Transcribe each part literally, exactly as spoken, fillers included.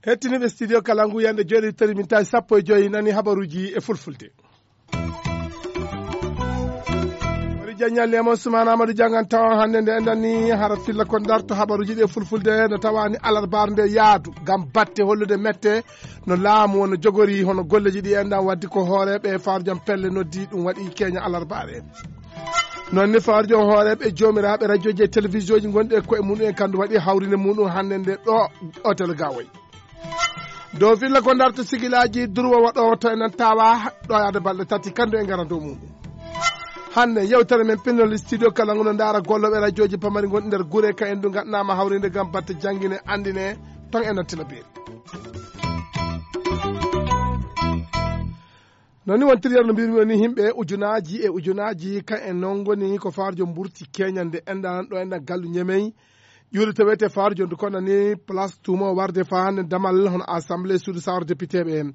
Hettiniiɓe studio Kalangu, yande jooni tari min tawi sappo e joyi nani habaruuji e fulfulde. Wari jaññal Nemo Ousmane Amadou Jangan tawa hannde nde enɗan ni hara filla ko darto habaruuji ɗi e fulfulde no tawani alarbaare nde yaadu ngam batte hollude mette no laamu wonno jogori hono golleji ɗi enɗan waddi ko hooreeɓe e faarjam pelle noddi ɗum waɗi keña alarbaare. Noon ne faarjo hooreeɓe joomiraaɓe rajooji e télévision ji gonɗi e koye muɗum en kandu waɗi hawrinde muɗum hannde nde ɗo hôtel Gawoy. Dow filla ko darto sigilaaji durwo waɗo to enen tawa ɗo yaade balɗe tati kandu e ngara dow muɗum. Hannde yewtere men pinnol studio kala nguno ndaara gollooɓe rajooji pamari gonɗi nder gure ka en du ngaɗnama hawrinde ngam batte janngine anndine ton e nattina beeri. Noon ni wontiri yer no mbirmi woni yimɓe ujunaaji e ujunaaji ka en noon ngoni ko faarjo mburti keñande enɗan ɗo enɗan gallu ñemey. Ƴuuri to wiyetee faarjo ndu konna ni place tuumo warde faa hannde damal hono assemblée suudu sawra député ɓe.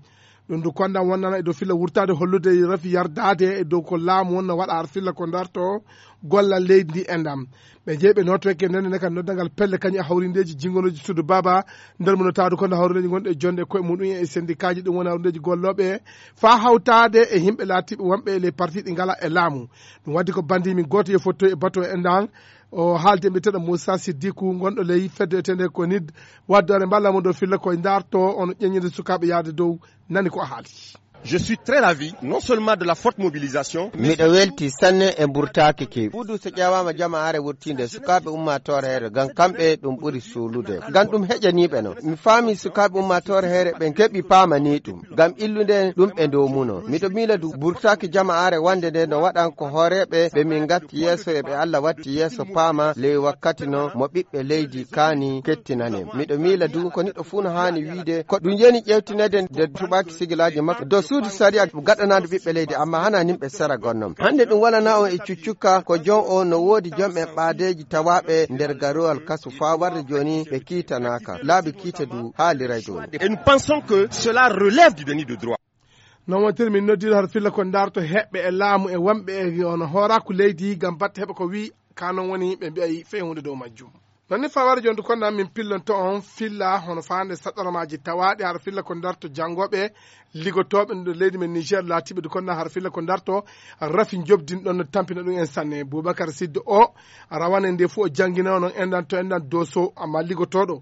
Ɗum ndu konda wonnana e dow filla wurtaade hollude rafi yardaade e dow ko laamu wonno waɗa har filla ko darto gollal leydi ndi enɗan. Ɓe jeyi ɓe notoyke nden ne kadi noddangal pelle kañum e hawrindeeji jingonooji suudu baaba nder mo notaadu kono hawrindeeji gonɗi e jonde e koye muɗum e syndicat ji ɗum woni hawrindeeji gollooɓe faa hawtaade e yimɓe laatiiɓe wonɓe e les parti ɗi ngala e laamu. Ɗum waddi ko bandi min gooto yo fottoy e bato e enɗan. O haalde mbiyeteeɗo Moussa Siddikou gonɗo ley fedde etende ko nid waddoore mballa mo dow filla koye darto ono ƴeññinde sukaaɓe yaade dow nani ko o haali. Je suis très ravi non seulement de la forte mobilisation mais miɗo welti sanne e mburtaaki keewi. Fuudu so ƴeewaama jamaare wurtiinde sukaaɓe ummaatoore heere ngam kamɓe ɗum ɓuri suulude ngam ɗum heƴaniiɓe no mi faami sukaaɓe ummaatoore heere ɓe keɓi paamani ɗum ngam illude ɗum ɓe ndomuno miɗo miila du mburtaaki jamaare wande nde no waɗan ko hooreeɓe ɓe min ngatti yeeso e ɓe Allah watti yeeso paama ley wakkati no mo ɓiɓɓe leydi kaani kettinane miɗo miila du ko niɗɗo fuu no haani wiide ko ɗum yeni ƴewtinede nde tuɓaaki sigilaaji makko dow suudu sariya gaɗanaade ɓiɓɓe leydi amma hana nimɓe sera gonnom hannde ɗum walana on e cuccukka ko jon o no woodi jomɓe ɓaadeeji tawaaɓe nder garowal kasu faa warde jooni ɓe kiitanaaka laabi kiite du haaliray ɗum. Et nous pensons que cela relève du déni de droit. Noon wontiri min noddiiɗo har filla ko darto heɓɓe e laamu e wonɓe e ono hooraaku leydi ngam batte heɓa ko wii ka noon woni ɓe mbiyay fey huunde dow majjum. Noon ni fawara jonde kon nan min pillonto on filla hono faande saɗɗormaaji tawaaɗi har filla ko darto janngooɓe ligotooɓe nder leydi men Niger laatiiɓe du kon nan har filla ko darto rafi jobdin ɗon no tampina ɗum en sanne Boubacar Sidde o rawane nde fof o janngina noon enɗan to enɗan doso amma ligotooɗo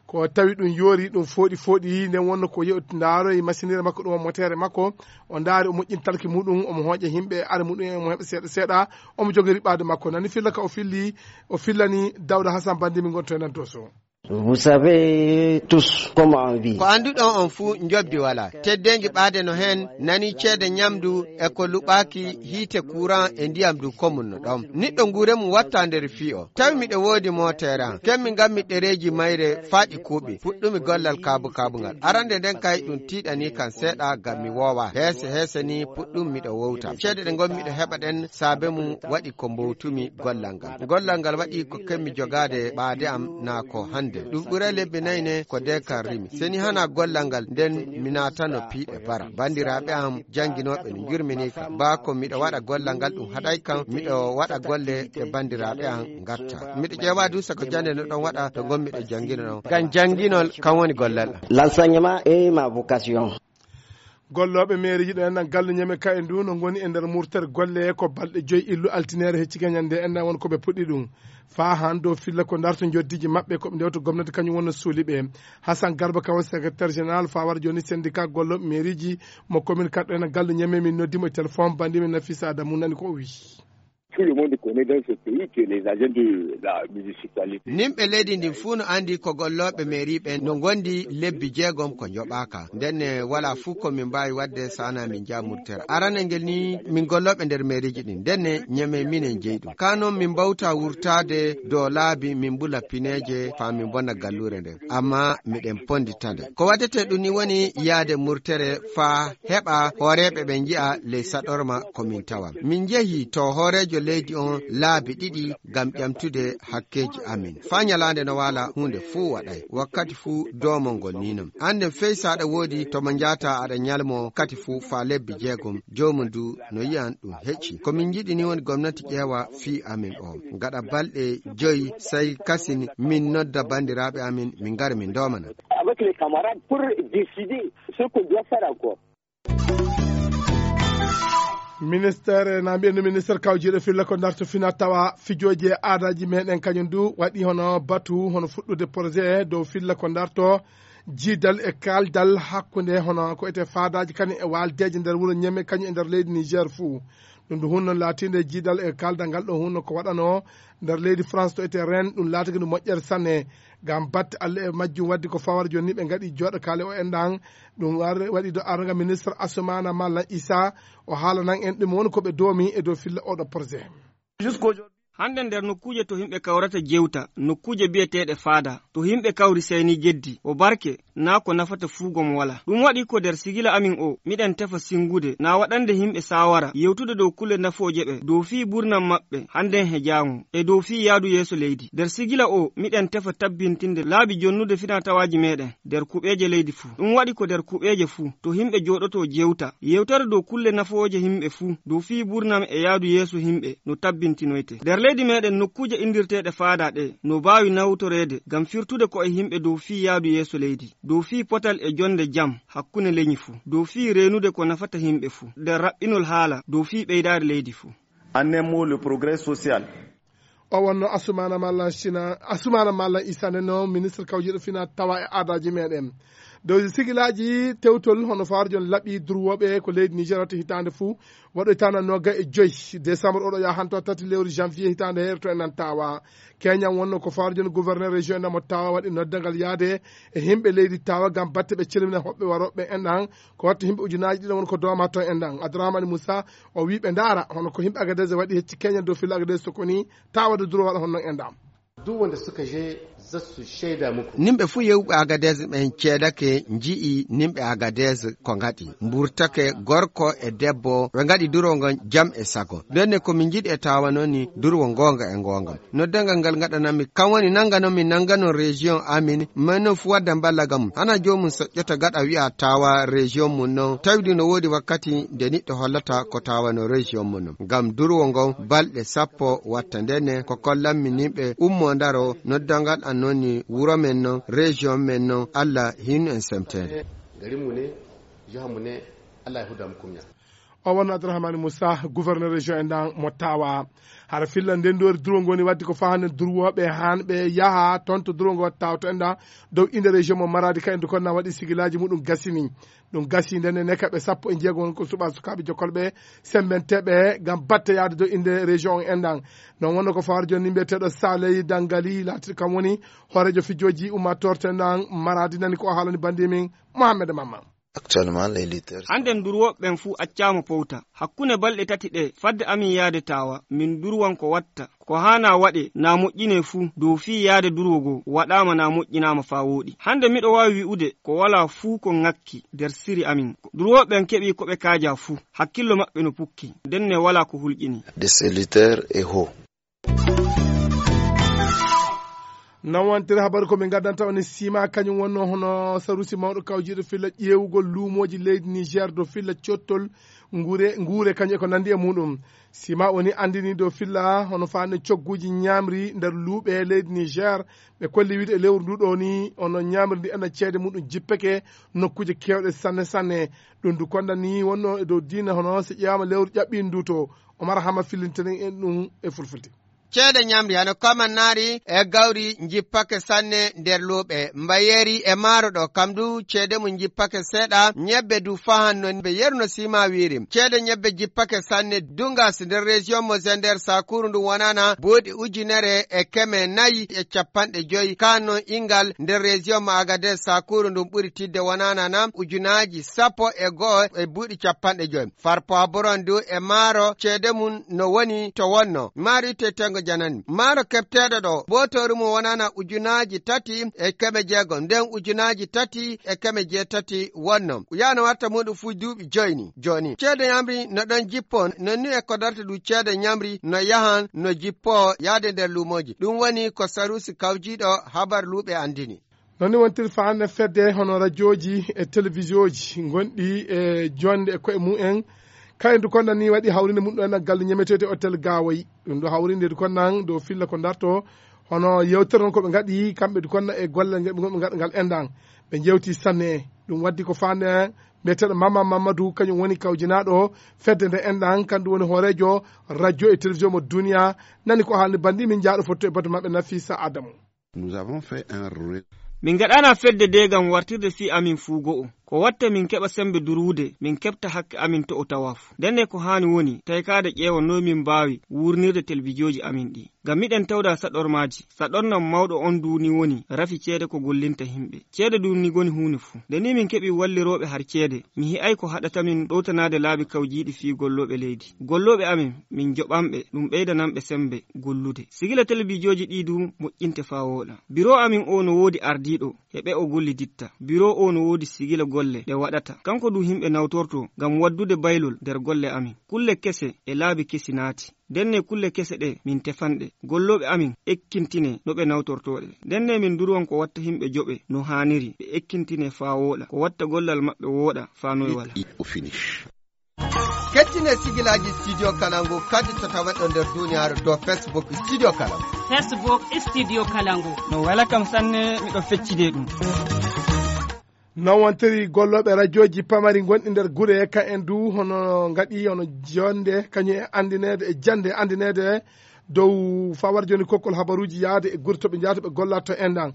ko tawi ɗum yoori ɗum fooɗi fooɗi nden wonno ko yew ndaaroy masinire makko ɗum o motere makko o ndaari o moƴƴin talki muɗum omo hooƴa yimɓe are muɗum en omo heɓa seeɗa seeɗa omo jogori ɓaade makko nani filla ka o filli o fillani dawda hasan bandi min gonto e nan doso. Vous savez tous comment on vit. Ko annduɗon on fuu njobdi walaa. Teddeengi ɓaade no heen nani ceede ñamdu e ko luɓaaki hiite kuran e ndiyam du komun no ɗon. Niɗɗo nguure mum watta nder fii o. Tawi miɗo woodi mooteere am. Kemmi ngammi ɗereeji mayre faa ɗi kuuɓi. Puɗɗumi gollal kaabu-kaabu ngal. Arande nden kay ɗum tiiɗanii kam seeɗa ngam mi woowa. Heese heese ni puɗɗum miɗo wowta. Ceede ɗe ngonmi ɗo heɓa ɗen saabe mum waɗi ko mbowtumi gollal ngal. Gollal ngal waɗi ko kemmi jogaade ɓaade am naa ko hannde. Ɗum ɓuray lebbi nayi ne ko de kan rimi. Seni hana gollal ngal nden mi naatano piiɗe bara. Banndiraaɓe am jannginooɓe no njurmini kam. Baa ko miɗo waɗa gollal ngal ɗum haɗay kam miɗo waɗa golle ɗe banndiraaɓe am ngatta. Miɗo ƴeewa du sako jannde no ɗon waɗa to ngonmi ɗo janngino ɗon. Ngam jannginol kam woni gollal am. L'enseignement est ma vocation. Gollooɓe meeriji ɗo enɗan galle ñeme ka e ndu no ngoni e nder murtere golle ko balɗe joyi illu altineere hecci gañande enɗan won ko ɓe puɗɗi ɗum faa han dow filla ko darto njoddiiji maɓɓe ko ɓe ndewta gomnati kañum wonno suuli ɓe. Hasan Garba kawo secrétaire général faa wara jooni syndicat gollooɓe meeriji mo commune kaɗɗo enɗan galle ñeme min noddi mo e téléphone bandi min Nafisa Adamu nani ko o wii. Tout le monde connaît dans ce pays que les agents de la municipalité. Nimɓe leydi ndin fuu no anndi ko gollooɓe mairie ɓen no ngondi lebbi jeegom ko njoɓaaka. Ndenne walaa fuu ko min mbaawi waɗde so anaa min njaha murtere. Arane ngel ni min gollooɓe nder mairieji ɗin. Ndenne ñeme minen jeyi ɗum. Kaa noon min mbawta wurtaade dow laabi min mbula pineeje faa min mbonna galluure nden. Ammaa miɗen ponndita nde. Ko waɗetee ɗum ni woni yaade murtere faa heɓa hooreeɓe ɓen nji'a ley saɗorma ko min tawa. Min njehi to hooreejo leydi on laabi ɗiɗi ngam ƴamtude hakkeeji amin. Faa nyalaande no waala, huunde fuu waɗay. Wakkati fuu doomol ngol nii non. Annden fey so aɗa woodi to mo njaataa aɗa nyalmoo kati fuu faa lebbi jeegom, joomum du no yi'an ɗum hecci. Ko min njiɗi nii woni gomnati ƴeewa fii amin o. Gaɗa balɗe joyi, sey kasin min nodda banndiraaɓe amin, min ngara min ndoomana. Avec les camarades pour décider ce qu'on doit faire encore. Ministére, na mbiyen no ministére kawjiiɗo filla ko darto fina tawa fijooji e aadaaji meɗen kañum du waɗi hono batu, hono fuɗɗude projet dow filla ko darto jiidal e kaaldal hakkunde hono ko ete faadaaji kañum e waaldeeje nder wuro Ñeme kañum e nder leydi Niger fuu. Ɗum du hunno laatinde jiidal e kaaldal ngal ɗo hunno ko waɗano nder leydi France to ete Rennes, ɗum laatigi ndu moƴƴere sanne. Ngam batte Allah e majjum waddi ko fawara jooni ni ɓe ngaɗi jooɗo kaale o enɗan. Ɗum war-, waɗi do arga ministre Assoumana Mallan Issa, o haalanan en ɗum woni ko ɓe doomi e dow filla oɗo projet. Hannde nder nokkuuje to yimɓe kawrata jewta, nokkuuje biyeteeɗe faada, to yimɓe kawri seyni jeddi, o barke, naa ko nafata fuu gom wala. Ɗum waɗi ko nder sigila amin o, miɗen tefa singude, naa waɗande yimɓe saawara, yewtude dow kulle nafooje ɓe, dow fii burnam maɓɓe, hannden he jaango, e dow fii yaadu yeeso leydi. Nder sigila o, miɗen tefa tabbintinde laabi jonnude finaa tawaaji meɗen, nder kuɓeeje leydi fuu. Ɗum waɗi ko nder kuɓeeje fuu, to yimɓe jooɗoto jewta, yewtere dow kulle nafooje yimɓe fuu, dow fii burnam e yaadu yeeso yimɓe, no tabbintinoyte. Nder leydi meɗen nokkuuje inndirteeɗe faada ɗe, no baawi nawtoreede ngam firtude ko'e yimɓe dow fii yaadu yeeso leydi, dow fii potal e jonde jam hakkunde lenyi fuu, dow fii reenude ko nafata yimɓe fuu, nder raɓɓinol haala, dow fii ɓeydaari leydi fuu. En un mot, le progrès social. O wonno Asumana Mallan Sina, Asumana Mallan Issa nden no ministre kawjiiɗo fina tawa e aadaaji meɗen. Dow sigilaaji tewtol hono faarjon laɓi durwooɓe ko leydi Niger watta hitaande fuu, waɗoytaana nooga e joy décembre oɗo yaha hanto tati lewru janvier hitaande heerto e nan tawa. Keñan wonno ko faarjon gouverneur région e namo tawa waɗi noddangal yaade e yimɓe leydi tawa ngam batte ɓe celmina hoɓɓe warooɓe en ɗan, ko watta yimɓe ujunaaji ɗiɗi won ko dooma ton en ɗan. Abdourahmane Moussa, o wii ɓe ndaara hono ko yimɓe Agadez waɗi hecci keñan dow filla Agadez so ko ni tawa de duro waɗa hono non en ɗan. Duk wanda suka je za su shaida muku. Nimɓe fuu yewɓe Agadez ɓen ceedake, nji'i nimɓe Agadez ko ngaɗi. Mburtake gorko e debbo, ɓe ngaɗi duro ngon jam e sago. Ndenne ko min njiɗi e tawa noon ni durwo ngoonga e ngoonga. Noddangal ngal ngaɗanammi, kam woni nannga noon min nannga noon région amin, mais noon fuu wadda mballa gam. Hana joomum soƴƴoto gaɗa wi'a tawa région mum noon, tawdi no woodi wakkati nde niɗɗo hollata ko tawa no région mum noon. Ngam durwo ngon balɗe sappo watta ndenne ko kollammi nimɓe ummo ndaro noddangal an noon ni wuro men noon, région men noon, Allah hinu en semteede. Garinmu ne, jihanmu ne, Allah ya huda mu kunya. O wonno Abdourahmane Moussa, gouverneur région en ɗan mo tawa. Hara filla nden ɗo duro ngoni waddi ko fahande durwoɓe han ɓe yaha toon to duro ngo watta tawto en ɗan dow inde région mo Maradi ka en duko na waɗi sigilaaji muɗum gasini. Ɗum gasi nden ne kaɓe sappo e jeego won ko suɓa sukaaɓe jokkolɓe sembenteɓe ngam batte yaade dow inde région on en ɗan. Non wonno ko fawar joni mbiyeteɗo Saley Dangali laati kam woni hoorejo fijooji ummatorte ɗan Maradi nani ko o haalani bandi min Mohamed Mamma. Actuellement, les lutteurs. Hannden durwooɓe ɓen fuu accaama powta. Hakkunde balɗe tati ɗe, fadde amin yaade tawa, min durwan ko watta. Ko haanaa waɗe, naa moƴƴinee fuu, dow fii yaade durwo goo, waɗaama naa moƴƴinaama faa wooɗi. Hannde miɗo waawi wi'ude ko walaa fuu ko ŋakki nder siri amin. Durwooɓe ɓen keɓii ko ɓe kaajaa fuu, hakkillo maɓɓe no pukki, ndenne walaa ko hulƴinii. De ces lutteurs est haut. Nan wontere habaru ko min ngaddanta on e Sima, kañum wonno hono sarusi mawɗo kawjiiɗo filla ƴeewugol luumooji leydi Niger dow filla cottol nguure, nguure kañum e ko nanndi e muɗum. Sima woni anndini dow filla hono faande cogguuji ñaamri nder luuɓe leydi Niger. Ɓe kolli wiide e lewru ndu ɗo ni, hono ñaamri ndi ena ceede muɗum jippeke nokkuuje keewɗe sanne sanne. Ɗum ndu konda ni wonno e dow diina hono so ƴeewaama lewru ƴaɓɓiindi ndu to. Omar Hama fillintini en ɗum e fulfulde. Ceede ñamri hano kamannaari e gawri njippake sanne nder luuɓe. Mbayeeri e maaro ɗo, kam du ceede mum njippake seeɗa, ñebbe du fahan no mbe yeru no Sima wiiri. Ceede ñebbe jippake sanne, dungas nder région mo Zender, sakuuru ndu wonana buuɗi ujunere e keme nayi e cappanɗe joy. Kaan non ingal nder région mo Agadez, sakuuru ndun ɓuri tidde wonana na ujunaaji sappo e go'o e buuɗi cappanɗe joy. Farpo Aburon du e maaro ceede mum no woni to wonno. Maaro itte tengo janani. Maaro keɓteeɗo ɗo, bootoori mum wonana ujunaaji tati e keme jeegom, nden ujunaaji tati e keme jeetati wonno. Yaano warta muuɗum fuu duuɓi joyi ni. Jooni, ceede ñamri no ɗon jippoo, non ni e ko darta ɗum ceede ñamri no yahan no jippoo yaade nder luumooji. Ɗum woni ko Saruusi kawjiiɗo habar luuɓe anndini. Non ni wontiri faande fedde hono rajooji e telewisiyoji ngonɗi e joonde e koye mumen. Kayen du konna ni waɗi hawrinde mum ɗo en gallu ñameteete hôtel Gawoy. Ɗum ɗo hawrinde du konna dow filla ko darto hono yewtere non ko ɓe ngaɗi kamɓe du konna e golle ngal ɓe ngaɗi ngal enɗan. Ɓe jewti sanne. Ɗum waddi ko faande mbiyeteeɗo Mama Mamadou, kañum woni kawjinaaɗo fedde nde enɗan, kandu woni hooreejo radio e télévision mo duniya. Nani ko haalni bandi min jaaɗo fotto e batu maɓɓe Nafisa Adamu. Nous avons fait un ré- Min ngaɗana fedde de ngam wartirde fii amin fuu go'o. Ko watta min keɓa sembe durwude, min keɓta hakke amin to o tawa fuu. Ndenne ko haani woni, taykaade ƴeewa noy min mbaawi wuurnirde telebijooji amin ɗi. Ngam miɗen tawda saɗormaaji, saɗornam mawɗo on du ni woni rafi ceede ko gollinta himɓe. Ceede du ni goni huunde fuu. Nde ni min keɓi wallirooɓe har ceede, mi hi'ay ko haɗata min ɗowtanaade laabi kawjiiɗi fii gollooɓe leydi. Gollooɓe amin, min joɓanɓe, ɗum ɓeydananɓe sembe gollude. Sigila telebijooji ɗi du moƴƴinte faa wooɗa. Biro amin o no woodi ardiiɗo, e ɓe o golliditta. Biro o no woodi sigila golle ɗe waɗata. Kanko du himɓe nawtorto ngam waddude baylol nder golle amin. Kulle kese e laabi kesi naati. Ndenne kulle kese ɗe min tefan ɗe. Gollooɓe amin ekkintinee no ɓe nawtortoo ɗe. Ndenne min durwan ko watta himɓe joɓe no haaniri. Ɓe ekkintinee faa wooɗa. Ko watta gollal maɓɓe wooɗa faa noy wala. It, it, o finish. Kettine sigilaaji Studio Kalangu kadi to taweɗo nder duniyaaru dow Facebook Studio Kalangu. Facebook Studio Kalangu. No wela kam sanne, miɗo feccide ɗum. Non wontiri gollooɓe rajooji pamari gonɗi nder gure, ka en du hono ngaɗi hono jonde, kañum e anndineede e jannde anndineede dow fawar jooni kokkol habaruuji yaade e gure to ɓe njahata ɓe golla to enɗan.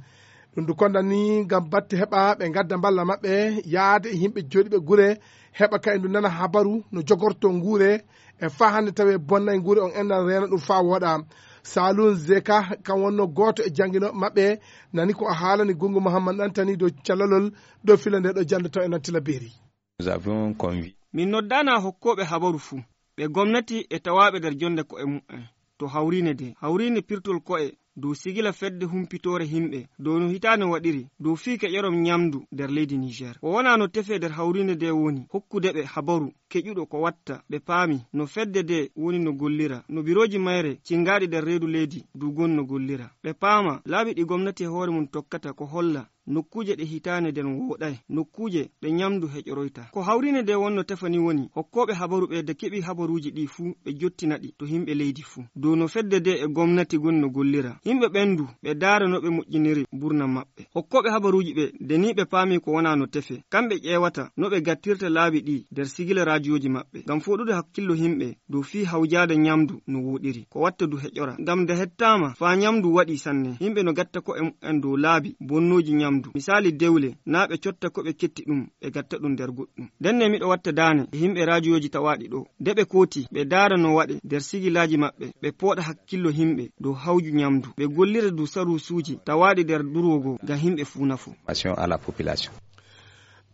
Ɗum du konda ni ngam batte heɓa ɓe ngadda mballa maɓɓe yaade e yimɓe jooɗiiɓe gure, heɓa ka en du nana habaru no jogorto nguure e faa hannde tawi bonnay nguure on enɗan reena ɗum faa wooɗa. Salun Zeka kan wonno gooto e jannginooɓe maɓɓe, nani ko o haalani Gungu Muhammad Ɗantani dow callalol dow filla nde ɗo jannde to enɗan Tilaberi. Nous avions convi- Min noddaana hokkooɓe habaru fuu, ɓe gomnati e tawaaɓe nder jonnde ko'e mumen. To hawriine de, hawriine pirtol ko'e dow sigila fedde humpitoore himɓe, dow no hitaande waɗiri, dow fii keƴorom ñamdu nder leydi Niger. Ko wonaa no tefee nder hawriine de woni hokkude ɓe habaru keƴuɗo ko watta, ɓe paami no fedde de woni no gollira, no birooji mayre cingaaɗi nder reedu leydi du goni no gollira. Ɓe paama laabi ɗi gomnati e hoore mum tokkata ko holla nokkuuje ɗe hitaande nden wooɗay, nokkuuje ɗe ñamdu heƴoroyta. Ko hawriine de wonno tefani woni hokkooɓe habaru ɓe de keɓi habaruuji ɗi fuu ɓe jottina ɗi to himɓe leydi fuu. Dow no fedde de e gomnati goni no gollira. Yimɓe ɓen du ɓe daara no ɓe moƴƴiniri burna maɓɓe. Hokkooɓe habaruuji ɓe de ni ɓe paami ko wonaa no tefe. Kamɓe ƴeewata no ɓe gattirta laabi ɗi nder sigila raajiyooji maɓɓe. Ngam fooɗude hakkillo yimɓe dow fii hawjaade ñamdu no wooɗiri, ko watta du heƴora. Ngam nde hettaama faa ñamdu waɗi sanne, yimɓe no gatta ko'e mumen dow laabi bonnooji ñamdu. Misaali dewle, naa ɓe cotta ko ɓe ketti ɗum, ɓe gatta ɗum nder goɗɗum. Ndenne miɗo watta daane e yimɓe raajiyooji tawaaɗi ɗo. Nde ɓe kooti, ɓe daara no waɗe nder sigilaaji maɓɓe, ɓe pooɗa hakkillo yimɓe dow hawju ñamdu. Ɓe gollira du saruusuuji tawaaɗi nder durwo goo ngam yimɓe fuu nafo. Information à la population.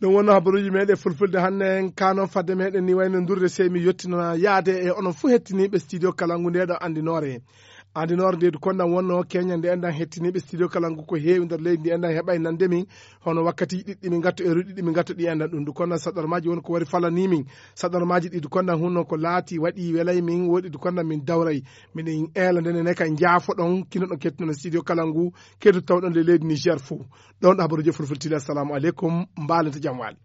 Ɗum wonno habaruuji meɗen fulfulde hannde en, ka noon fadde meɗen ni wayno ndurde, sey mi yettina yaade e onon fuu hettiniiɓe studio Kalangu nde ɗo anndinoore. Anndinoore nde du kondan wonno keñande enɗan hettiniiɓe studio Kalangu ko heewi nder leydi ndi enɗan heɓay nande min, hono wakkati ɗiɗɗi min ngatto e ruɗi ɗiɗi min ngatto ɗi enɗan ɗum du kondan saɗarmaaji won ko wari falanii min. Saɗarmaaji ɗi du kondan hunno ko laati waɗi welay min, woɗi du kondan min dawray. Miɗen eela ndene ne kay njaafoɗon kinoɗon kettunoɗon studio Kalangu, kedu tawɗon le leydi Niger fuu. Ɗon ɗo habaruuji fulfulde. Assalamu aleykum, mbaalata jam waali.